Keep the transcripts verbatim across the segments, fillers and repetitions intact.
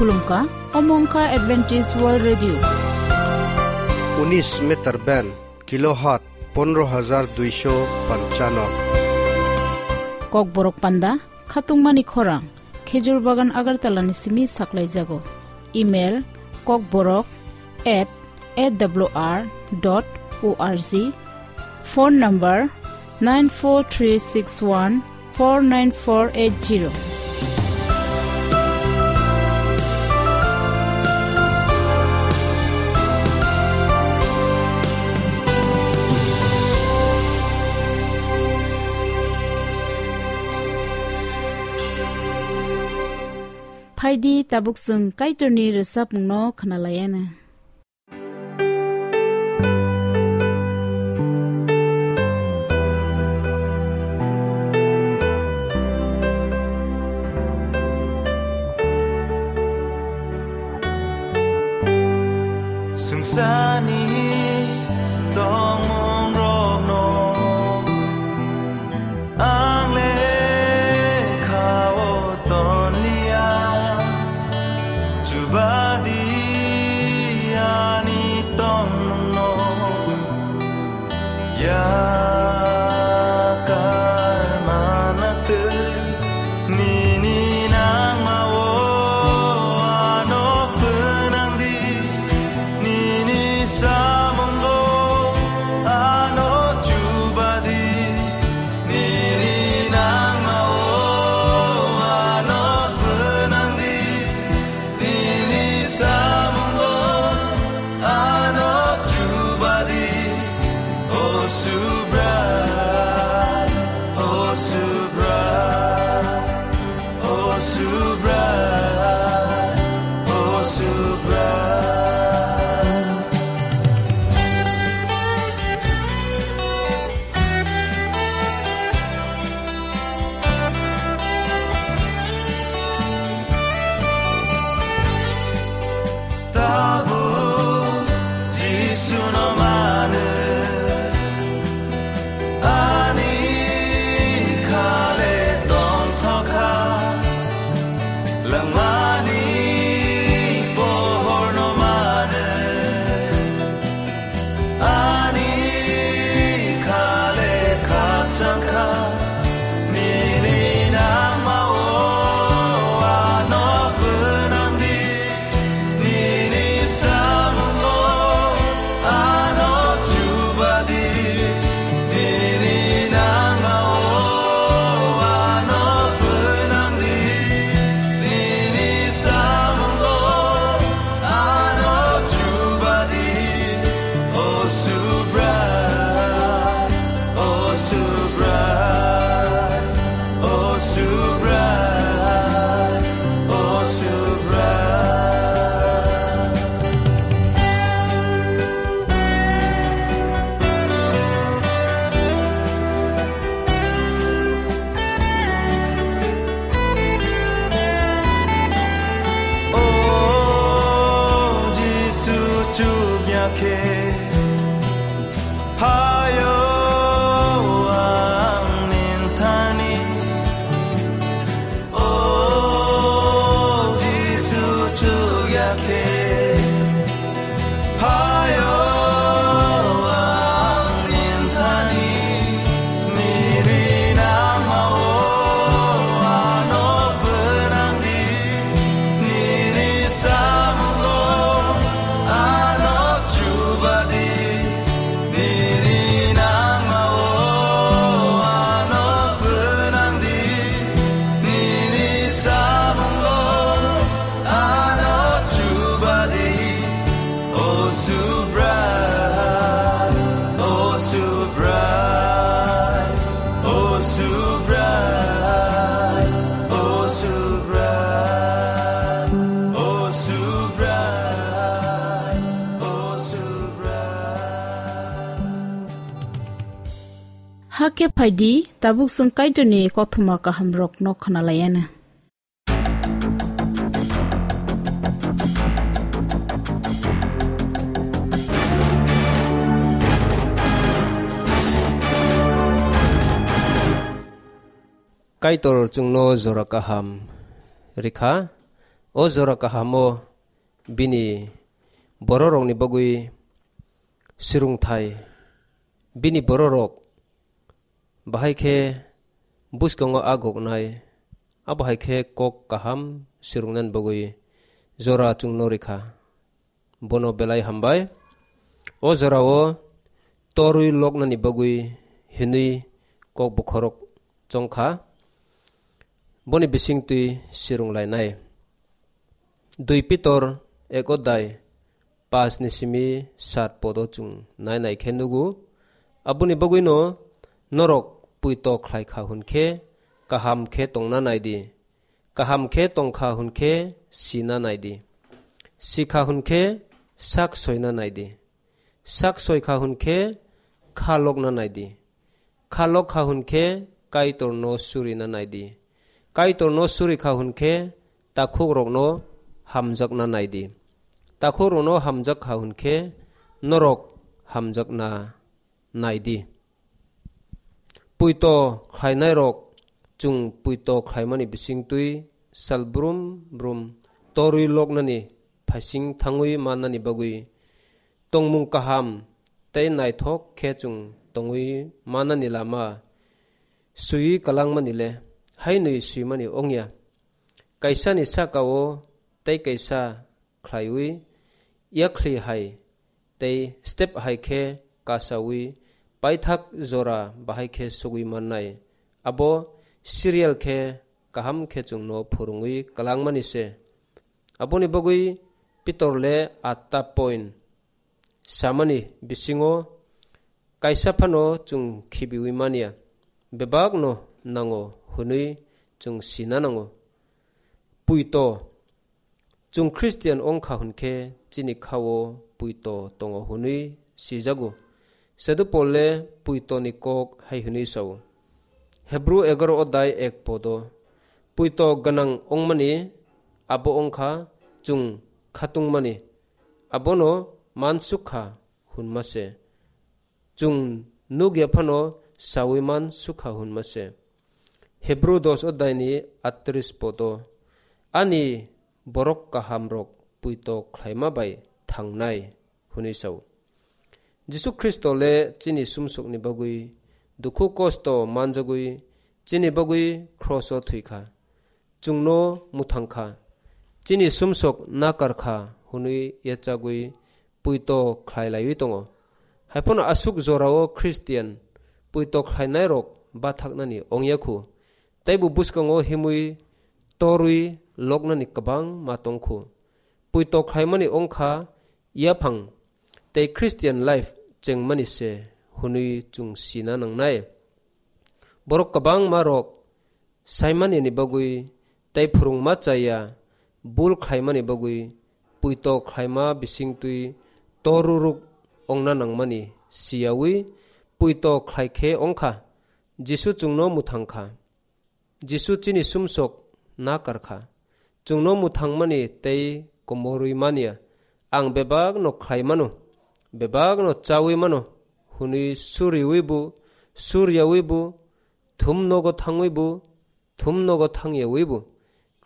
Khulumkha, omo wngkha Adventist World Radio. Unis meter band, kilohertz pondro hajar duisho panchano. Kokborok panda, khatungmani khorang, Khejur Bagan Agartala ni simi saklaijago. Email, kokborok at A W R dot O R G. Phone number, nine four three six one four nine four eight zero. Phaidi, tabuk chwng Kaitorni rwchapmungno khwnalaiana. Swngcharni tongmungrokno ang lekhao tonliya, chubadi ani tongmungno yakar manatwi nini nangmao ano phnangdi. Nini samungo ano chubadi, nini nangmao ano phnangdi, nini samungo ano chubadi. O Subrai, O Subrai. O Subrai, O Subrai. Tabuk Jisuno mano. Ani khale tongthokha, langmani pohorno mano. Ani khale khakchangkha, nini nangmao ano phnangdi. Nini samungo ano chubadi, nini nangmao ano phnangdi. Nini samungo ano chubadi. O Subrai, O Subrai, O Subrai, O Subrai. O Jisu chukya khe phaio ang ninthani. O Jisu chukya khe phaio ang ninthani. Nini nangmao ano phnangdi. Nini samungo ano chubadi. Nini nangmao ano phnangdi, nini samungo ano chubadi. O Subrai, O Subrai, O Subrai, O Subrai, O Subrai, O Subrai. Hakhe phaidi, tabuk chwng Kaitorni kothoma kahamrokno khwnalaiana. Kaitor chwngno jora kaham rikha. O jora kahamo bini bororokni bagwi swrwngthai, bini bororok bahai khe bwskango a goknai, abo hai khe kok kaham swrwngnani bagwi jora chwngno rikha. Bono belai hambai. O jorao torwi loknani bagwi hinwi kok bokhorok chongkha. Boni bisingtwi swrwnglainai. Dui Pitor ek odai pash ni simi sat podo chwng nainai khe nugo. Aboni bagwino norok puito khlai kha hwn khe kaham khe tongna nai di. Kaham khe tong kha hwn khe sina nai di. Si kha hwn khe sak soina nai di. Sak soi kha hwn khe kha lokna nai di. Kha lok kha hwn khe Kaitorno surina nai di. Kaitorno suri kha hwn khe takhukrokno hamjakna nai di. Takhukrokno hamjak kha hwn khe norok hamjakna nai di. Puito khlainairok chwng puito khlaimani bisingtwi sal brum brum torwi loknani phaising thangwi mannani bagwi tongmung kaham tei naithok khe chwng tongwi mannani lama swiwi kalangmani le hainwi swimani ongya. Kaisani saka-o tei kaisa khlaiwi yakhli hai tei step hai khe kasaui paithak jora bahai khe sugui mannai. Abo serial khe kaham khe chwngno phwrwngwi kwlangmani se. Aboni bagwi Pitor le atta point samani bisingo kaisa phano chwng khibiui manya, bebakno nango hwnwi chwng sina nango. Puito. Chwng Christian wng kha hwn khe chini kha-o puito tongo hwnwi sijago. Sadhu Pol le puitoni kok hai hwnwi sa-o, Hebru egaro odai ek podo, puito gwnang wngmani abo wng kha chwng khatungmani, abono mansuk kha hwnma se. Chwng nuk ya phano saui man sukha hwnma se. Hebru dos odai ni atris podo, ani borok kaham rok puito khlaima bai thangnai hwnwi sao. Jisu Khristo le chini sumsokni bagwi dukhu kosto manjagwi chini bagwi kroso thwikha. Chwngno mwthang kha, chini sumsok nakar kha hwnwi yachagwi puito khlai laiwi tongo. Haiphano aswk jorao Christian puito khlainairok bathaknani ongya khu, teibo bwskango himwi torwi loknani kwbangma tong khu. Puito khlaimani wng kha yaphang tei Christian life chengmani se hwnwi chwng sina nangnai. Borok kwbangma rok saimani ni bagwi tei phwrwngma chaya bul khlaimani bagwi puito khlaima bisingtwi toruruk ongna nangmani siyaui puito khlai khe wng kha. Jisu chwngno mwthang kha. Jisu chini sumsok nakar kha. Chwngno mwthangmani tei komorwi manya, ang bebakno khlai mano, bebakno chaui mano hwnwi suriui bo, suryaui bo, thum nogo thangwi bo, thum nogo thangyaui bo,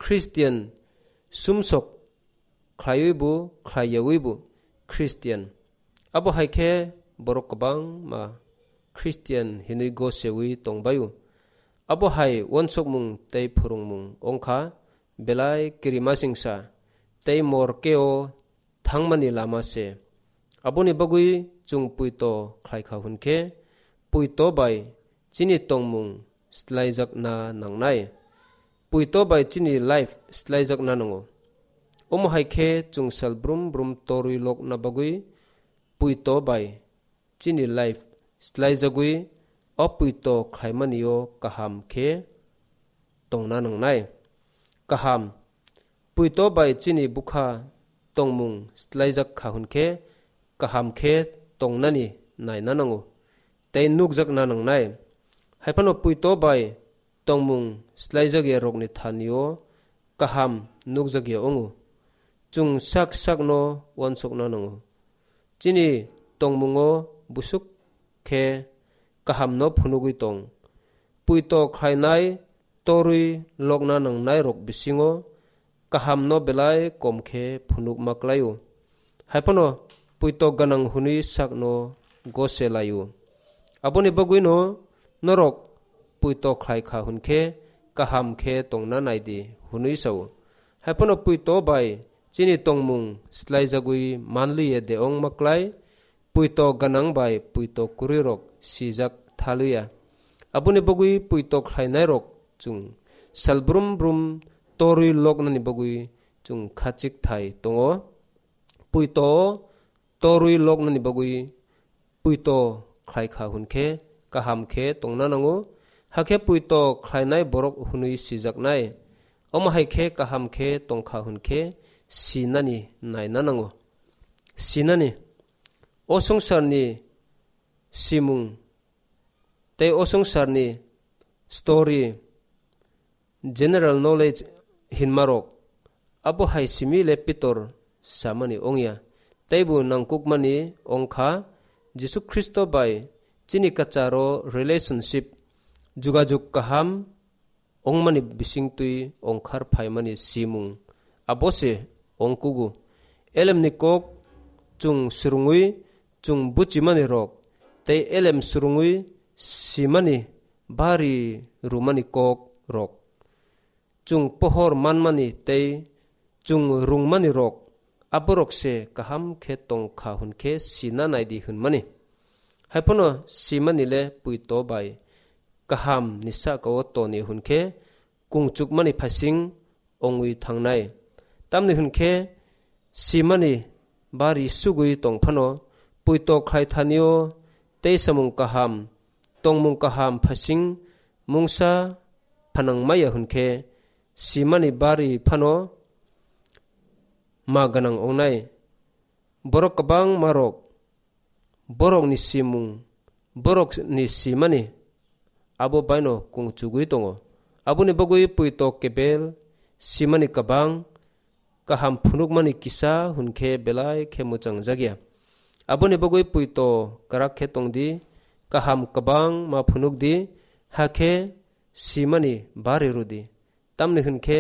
Christian sumsok khlaiwi bo, khlaiyaui bo Christian. Abo hai khe borok kwbangma Christian hinwi goseui tongbaio. Abo hai uansukmung tei phwrwngmung wng kha belai kirimasingsa tei morkeo thangmani lama se. Aboni bagwi chwng puito khlai kha hwn khe, puito bai chini tongmung slaijakna nangnai. Puito bai chini life slaijakna nango. Omo hai khe chwng sal brum brum torwi lokna bagwi puito bai chini life slaijagwi o puito khlaimani-o kaham khe tongna nangnai. Kaham, puito bai chini bwkha tongmung slaijak kha hwn khe kaham khe tongnani naina nango tei nukjakna nangnai. Haiphano puito bai tongmung slaijak ya rokni thani-o kaham nukjak ya wngo. Chwng sak sakno uansukna nango. Chini tongmungo busuk khe kahamno phunugwi tong. Puito khlainai torwi lokna nangnai rok bisingo kahamno belai kom khe phunukma klai-o. Hai phano puito gwnang hwnwi sakno gose lai-o. Aboni bagwino norok puito khlai kha hwn khe kaham khe tongna nai di hwnwi sa-o. Hai phano puito bai chini tongmung slaijagwi man li ya de wngma klai, puito gwnang bai puito kwrwirok sijak tha li ya. Aboni bagwi puito khlainairok chwng sal brum brum torwi loknani bagwi chwng khachik thai tongo. Puito torwi loknani bagwi puito khlai kha hwn khe kaham khe tongna nango, hakhe puito khlainai borok hwnwi sijaknai. Omo hai khe kaham khe tong kha hwn khe sinani naina nango. Sinani. O swngcharni simung tei o swngcharni story, general knowledge hinmarok, abo hai simi le Pitor samani ongya, teibo nangkukmani ongkha Jisu Khristo bai chini kwcharo relationship, jugajug kaham ongmani bisingtwi ongkhar phaimani simung abo se ongkugo. Elemni kok chwng swrwngwi chwng buchimani rok tei elem swrwngwi simani bari rwmani kok rok. Chwng pohor manmani tei chwng rwngmani rok, aborok se kaham khe tong kha hwn khe sina nai di hwnmani. Hai phano simani le puito bai kaham ni saka o toni hwn khe kungchukmani phaising ongwi thangnai. Tamni hwn khe simani bari sugwi tong phano puito khlai thani o tei samung kaham, tongmung kaham phaising mungsa phanang maya hwn khe simani bari phano ma gwnang ongnai. Borok kwbangma rok borokni simung, borokni simani abo baino kungchugwi tongo. Aboni bagwi puito kebel simani kwbang kaham phunukmani kisa hwn khe belai khe mwchangjakya. Aboni bagwi puito kwrak khe tong di, kaham kwbang ma phunuk di, hakhe simani bari rw di. Tamni hwn khe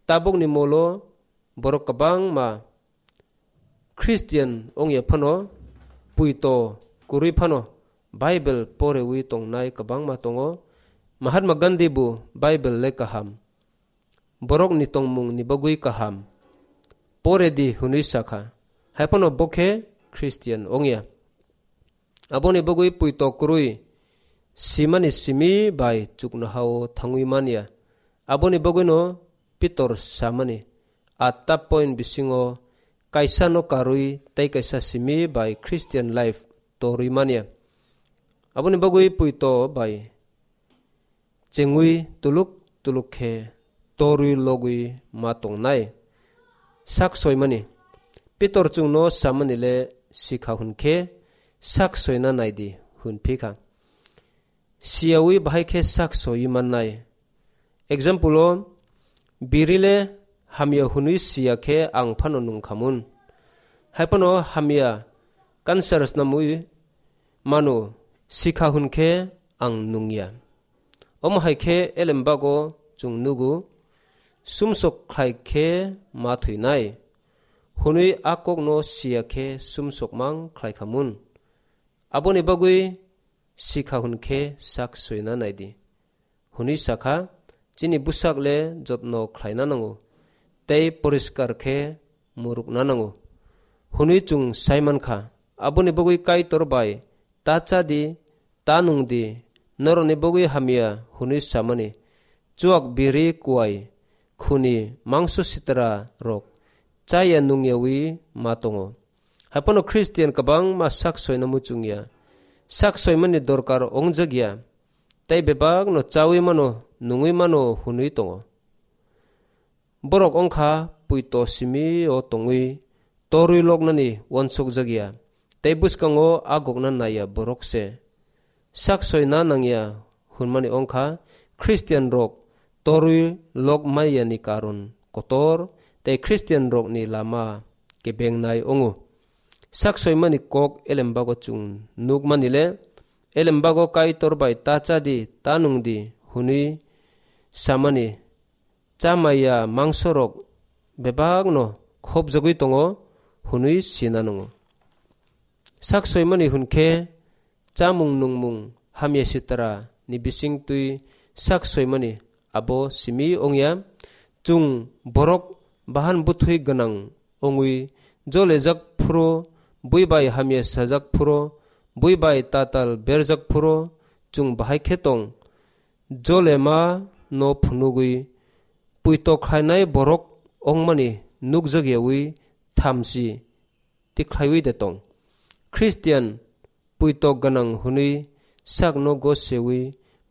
tabukni molo borok kwbangma Christian wngya phano, puito kwrwi phano Bible porewi tongnai kwbangma tongo. Mahatma Gandhi bo Bible le kaham, borokni tongmungni bagwi kaham, pore di hwnwi sakha. Hai phano bo khe Christian wngya. Aboni bagwi puito kwrwi simani simi bai chuknoha-o thangwi manya. Aboni bagwino Pitor samani, atta point bisingo kaisa no karwi tei kaisa simi bai Christian life torwi manya. Aboni bagwi puito bai chengwi tuluk tuluk khe torwi logwi ma tongnai. Sak soimani. Pitor chwngno samani le sikha hwn khe sak soina nai di hwn phi kha. Siyawi bahai khe sak soi mannai. Example o, biri le hamya hwnwi siya khe ang phano nung khamun. Hai phano hamya cancer snamwi mano, sikha hwn khe ang nungya. Omo hai khe elembago chwng nugo, sumsok khlai khe ma thwinai, hwnwi a kokno siya khe sumsok mang khlai khamun. Aboni bagwi sikha hwn khe sak soina nai di. Hwnwi sakha, chini bwsak le jotno khlaina nango, tei poriskar khe murukna nango, hwnwi chwng sai man kha. Aboni bagwi Kaitor bai ta cha di, ta nung di, norokni bagwi hamya hwnwi samani, chuak biri kuai, khuni mangso sitra rok chaya nungyawi ma tongo. Hai phano Christian kwbangma sak soina muchungya, sak soimani dorkar ongjakya, tei bebakno chawi mano, nungwi mano hwnwi tongo. Borok wngkha puito simi o tongwi torwi loknani uansukjakya, tei bwskango a gokna naiya borok se. Sak soina nangya hwnmani wngkha Christian rok torwi lok maiyani karon kotor tei Christian rokni lama kebengnai wngo. Sak soimani kok elembago chwng nukmani le, elembago Kaitor bai ta cha di, ta nung di hwnwi samani, cha maya mangsorok bebakno khopjagwi tongo hwnwi sina nango. Sak soimani hwn khe chamung nungmung hamya sitra ni bising twi sak soimani abo simi ongya. Chwng borok bahan bwthwi gwnang ongwi jolejak phuru, bui bai hamya sajak phuru, bui bai tatal berjak phuru chwng bahai khe tong. Jolema no phunugwi puito khlainai borok ongmani nukjak yawi thamchi tikhlaiwi de tong. Christian puito gwnang hwnwi sakno gosewi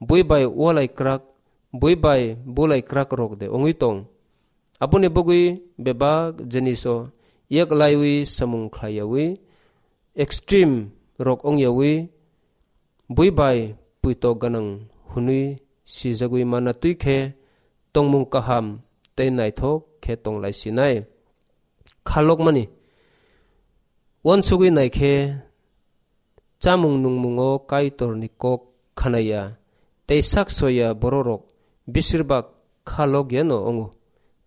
bui bai walai kwrak, bui bai bulai kwrak rok de ongwi tong. Aboni bagwi bebak jiniso yak laiwi samung khlai yawi, extreme rok ong yawi, bui bai puito gwnang hwnwi sijagwi mana twi khe tongmung kaham tei naithok khe tonglai sinai. Khalokmani uansugwi nai khe chamung nungmungo Kaitorni kok khanaya tei sak soiya bororok bisirbak kha lok yano wngo.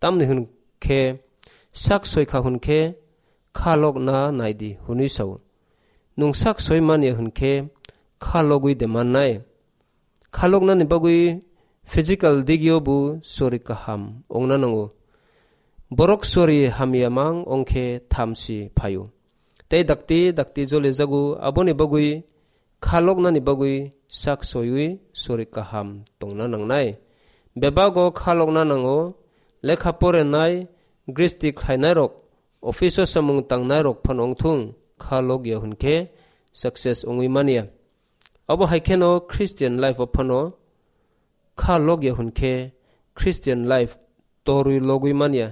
Tamni hwn khe sak soi kha hwn khe kha lok na nai di hwnwi sao. Nwng sak soi man ya hwn khe kha logwi de mannai? Kha loknani bagwi physical digio bo sori kaham wngna nango. Borok sori hamya mang wng khe thamchi phaio. Tei dakti dakti jole jago, aboni bagwi kha loknani bagwi sak soiwi sori kaham tongna nangnai. Bebago kha lokna nango, lekha porenai, gristi khlainairok, office o samung tangnairok phano wngthung, kha lok ya hwn khe success wngwi man ya. Abo hai kheno Christian life o phano kha lok ya hwn khe Christian life torwi logwi man ya.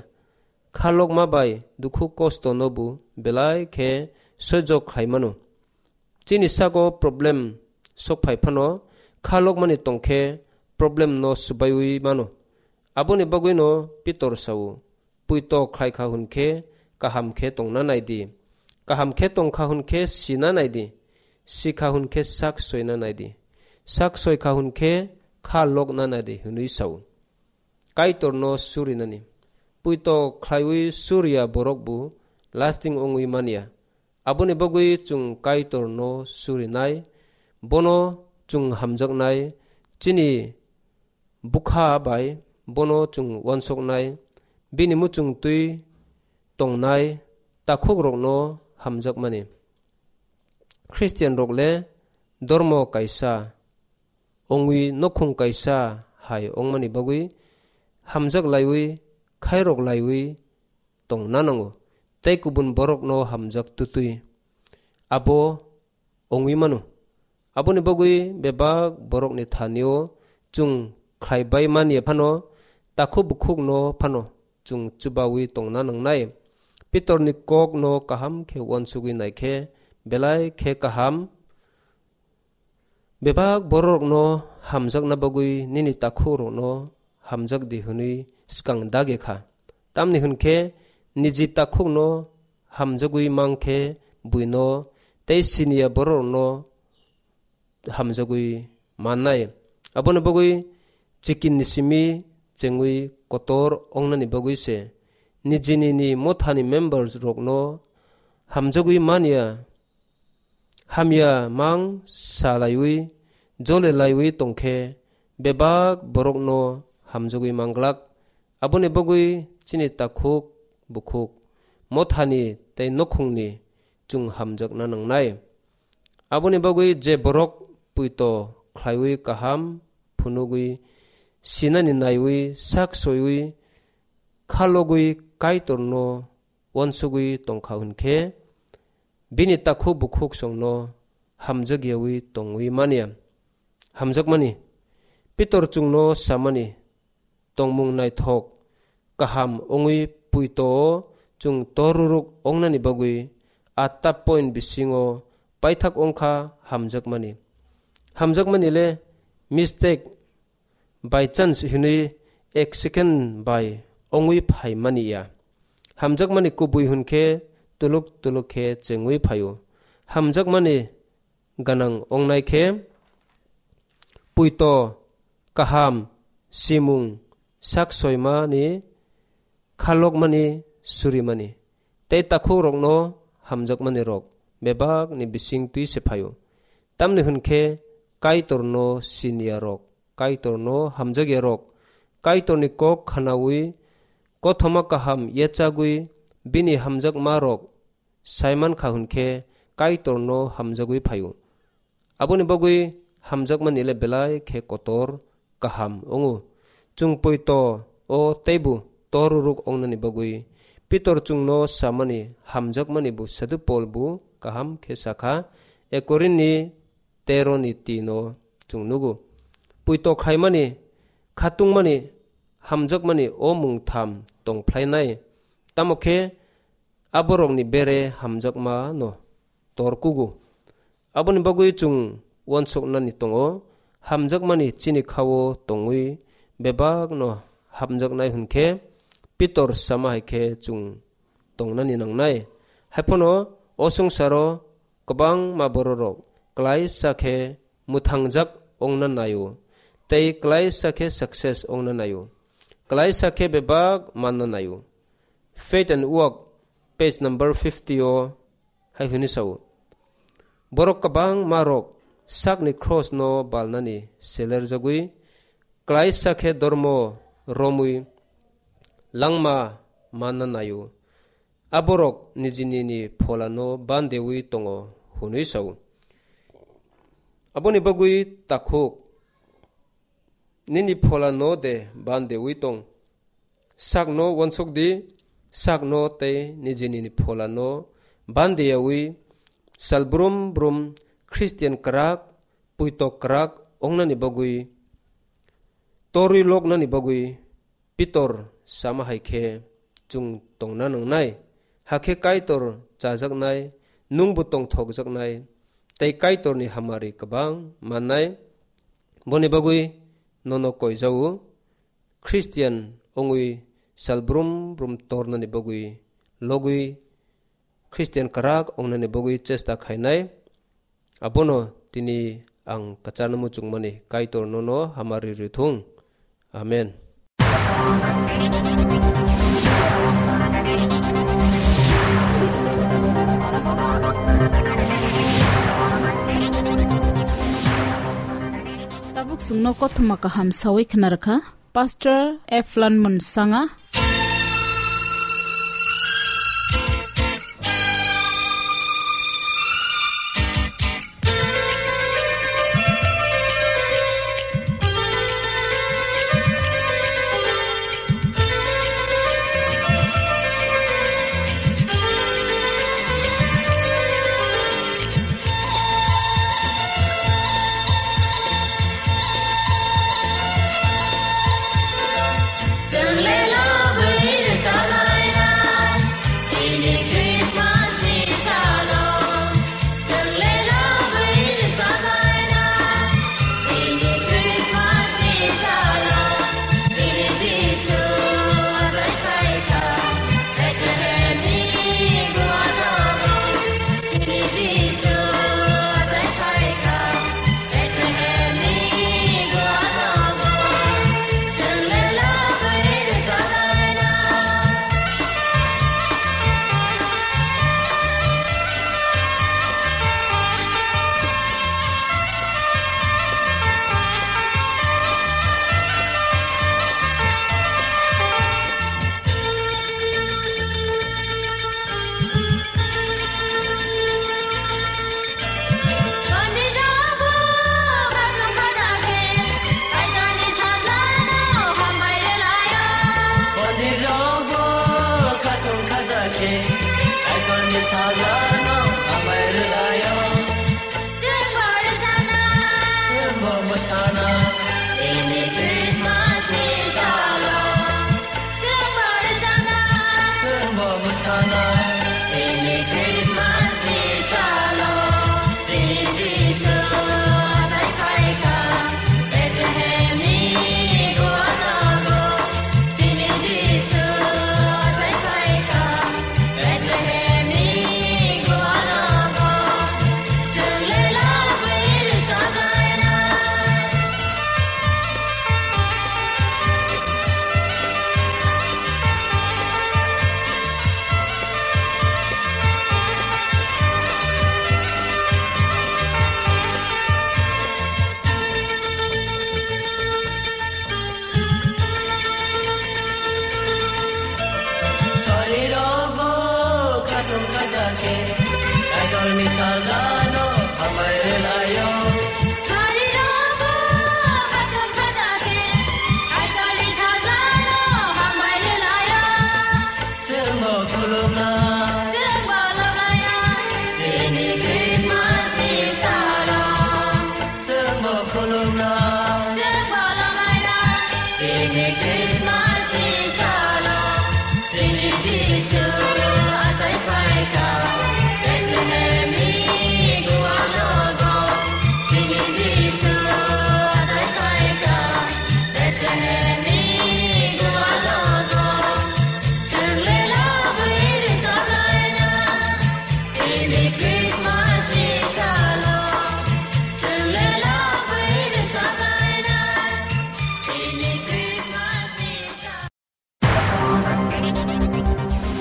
Kha lokma bai dukhu kosto no bo belai khe soijo khlai mano. Chini sago problem sok phai phano kha lokmani tong khe problem no swbaiwi mano. Aboni bagwi no Pitor sao, "Puito khlai kha hwn khe kaham khe tongna nai di. Kaham khe tong kha hwn khe sina nai di. Si kha hwn khe sak soina nai di. Sak soi kha hwn khe kha lokna nai di," hwnwi sao. Kaitorno surinani. Puito khlaiwi suriya borok bo lasting wngwi man ya. Aboni bagwi chwng Kaitorno surinai, bono chwng hamjaknai, chini bwkha bai bono chwng uansuknai, bini muchung twi tongnai takhukrokno hamjakmani. Christian rok le dormo kaisa wngwi nokhung kaisa hai wngmani bagwi hamjak laiwi, khairok laiwi tongna nango, tei kubun borokno hamjak twtwi abo wngwi mano. Aboni bagwi bebak borokni thanio chwng khlai bai man ya phano, takhuk bukhukno phano chwng chubawi tongna nangnai. Pitorni kokno kaham khe uansugwi nai khe belai khe kaham. Bebak bororokno hamjakna bagwi nini takhukrokno hamjak di hwnwi swkang dagi kha. Tamni hwn khe niji takhukno hamjagwi mang khe buino tei siniya bororokno hamjagwi mannai. Aboni bagwi chikinni simi chengwi kotor wngnani bagwi se nijini ni mothani members rokno hamjagwi man ya. Hamya mang sa laiwi, jole laiwi tong khe bebak borokno hamjagwi mang glak. Aboni bagwi chini takhuk bukhuk, mothani tei nokhungni chwng hamjakna nangnai. Aboni bagwi je borok puito khlaiwi kaham phunugwi sinani naiwi sak soiwi khalogwi Kaitorno uansugwi tong kha hwn khe, bini takhuk bukhuk songno hamjak yawi tongwi man ya. Hamjakmani, Pitor chwngno samani, tongmung naithok kaham wngwi puito-o chwng toruruk wngnani bagwi atta point bisingo paithak wng kha hamjakmani. Hamjakmani le mistake, by chance hwnwi ek second bai wngwi phai mani ya. Hamjakmani kubui hwn khe tuluk tuluk khe chengwi phaio. Hamjakmani gwnang wngnai khe puito kaham simung sak soimani khalokmani, surimani, tei takhukrokno hamjakmani rok bebakni bising twi se phaio. Tamni hwn khe Kaitorno siniya rok, Kaitorno hamjakya rok, Kaitorni kok khnaui, kothoma kaham yachagwi bini hamjakma rok saiman kha hwn khe Kaitorno hamjagwi phaio. Aboni bagwi hamjakmani le belai khe kotor kaham wngo. Chwng poito o teibo toruruk wngnani bagwi Pitor chwngno samani hamjakmani bo Sadhu Pol bo kaham khe sakha, Ekorinni tero ni tin o chwng nugo. Poito khlaimani, khatungmani, hamjakmani o mung tham tong phlainai. Tamo khe aborokni bere hamjakma no tor kugo. Aboni bagwi chwng uansuknani tongo, hamjakmani chini kha-o tongwi bebakno hamjaknai hwn khe Pitor sama hai khe chwng tongnani nangnai. Haiphano o swngcharo kwbangma bororok klaisa khe mwthangjak ongna naio, tei klaisa khe success ongna naio, klaisa khe bebak manna naio. Faith and Work, page number fifty o hai hwnwi sao, borok kwbangma rok sakni cross no balnani selerjagwi, klaisa khe dormo romwi langma manna naio. Aborok nijini ni pholano bandewi tongo hwnwi sao. Aboni bagwi takhuk nini pholano de bandewi tong. Sakno uansuk di, sakno tei nijini pholano bandeyawi sal brum brum Christian kwrak, puitok kwrak ongnani bagwi, torwi loknani bagwi Pitor sama hai khe chwng tongna nangnai, hakhe Kaitor chajaknai, nwngbo tongthokjaknai, tei Kaitorni hamari kwbang mannai. Boni bagwi nono koijao, Christian wngwi sal brum brum tornani bagwi logwi Christian kwrak wngnani bagwi chesta khainai. Abono tini ang kwcharno muchungmani Kaitor nono hamari rwthung. Amen. Tabuk chwngno kothoma kaham sawi khna rwkha. Pastor Eflan Munsanga.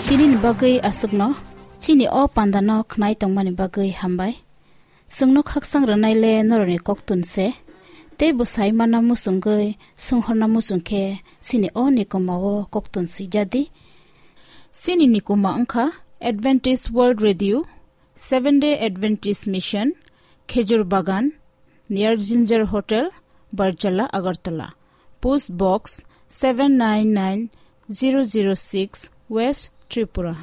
Tini ni bagwi aswkno, chini o panda no khnai tongmani bagwi hambai. Chwngno khaksang rwnai le norokni koktun se, tei bwsai mana muchungwi sunghorna muchung khe chini o nikoma o koktun swijadi. Chini nikoma wngkha Adventist World Radio, Seven Day Adventist Mission, Khejur Bagan, near Ginger Hotel, Barjala, Agartala. Post Box seven nine nine zero zero six, West Tripura.